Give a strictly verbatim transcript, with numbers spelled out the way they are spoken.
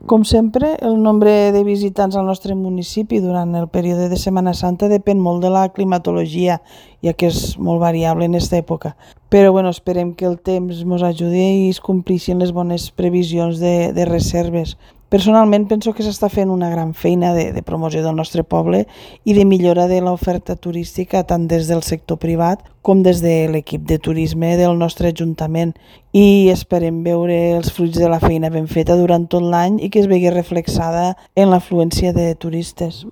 Com sempre, el nombre de visitants al nostre municipi durant el període de Setmana Santa depèn molt de la climatologia, ja que és molt variable en aquesta època. Però bueno, esperem que el temps ens ajudi i es compleixin les bones previsions de, de reserves. Personalment penso que s'està fent una gran feina de, de promoció del nostre poble i de millora de l'oferta turística tant des del sector privat com des de l'equip de turisme del nostre ajuntament, i esperem veure els fruits de la feina ben feta durant tot l'any i que es vegi reflexada en l'afluència de turistes.